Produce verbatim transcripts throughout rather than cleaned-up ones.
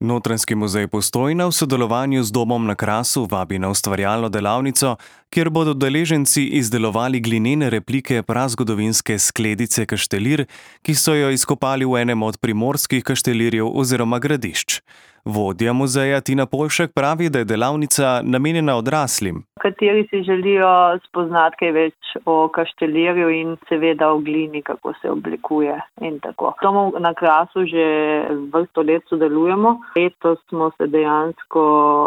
Notranjski muzej Postojna v sodelovanju z Domom na Krasu vabi na ustvarjalno delavnico, kjer bodo udeleženci izdelovali glinene replike prazgodovinske skledice Kaštelir, ki so jo izkopali v enem od primorskih kaštelirjev oziroma gradišč. Vodja muzeja Tina Poljšek pravi, da je delavnica namenjena odraslim, kateri si želijo spoznati kaj več o kaštelirju in seveda o glini, kako se oblikuje in tako. Domov na Krasu že vrsto let sodelujemo. Letos smo se dejansko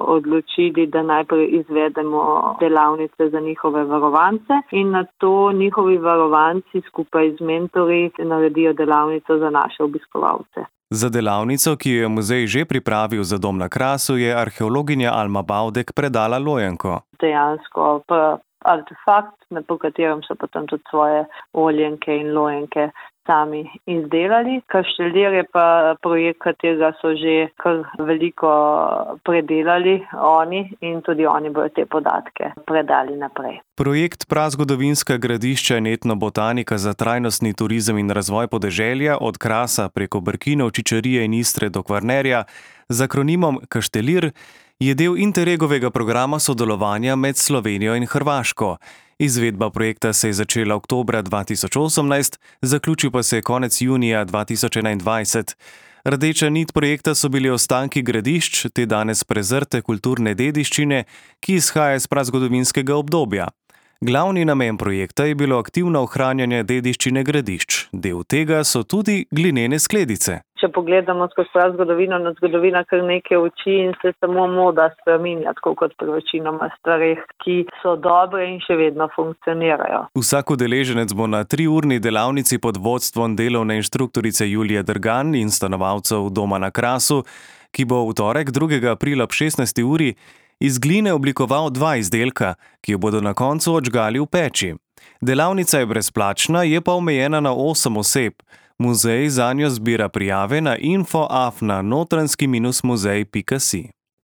odločili, da najprej izvedemo delavnice za njihove varovance in nato njihovi varovanci skupaj z mentorji naredijo delavnico za naše obiskovalce. Za delavnico, ki jo je muzej že pripravil za Dom na Krasu, je arheologinja Alma Bavdek predala lojenko. Dejansko pa artefakt, po katerem so potem tudi svoje oljenke in lojenke sami izdelali. Kaštelir je pa projekt, katerega so že kar veliko predelali oni in tudi oni bodo te podatke predali naprej. Projekt Prazgodovinska gradišča in etnobotanika za trajnostni turizem in razvoj podeželja od Krasa preko Brkinov, Čičarije in Istre do Kvarnerja z akronimom Kaštelir je del Interregovega programa sodelovanja med Slovenijo in Hrvaško. Izvedba projekta se je začela oktobra dva tisoč osemnajst, zaključil pa se je konec junija dva tisoč enaindvajset. Rdeča nit projekta so bili ostanki gradišč, te danes prezrte kulturne dediščine, ki izhaja iz prazgodovinskega obdobja. Glavni namen projekta je bilo aktivno ohranjanje dediščine gradišč. Del tega so tudi glinene skledice. Če pogledamo skozi prazgodovino, na zgodovina kar nekaj uči in se samo moda spreminja, tako kot pri večinoma stvareh, ki so dobre in še vedno funkcionirajo. Vsak udeleženec bo na triurni delavnici pod vodstvom delovne inštruktorice Julije Drgan in stanovalcev Doma na Krasu, ki bo v torek drugega aprila ob šestnajsti uri iz gline oblikoval dva izdelka, ki jo bodo na koncu odžgali v peči. Delavnica je brezplačna, je pa omejena na osem oseb. Muzej zanjo zbira prijave na info afna notranjski muzej pika si.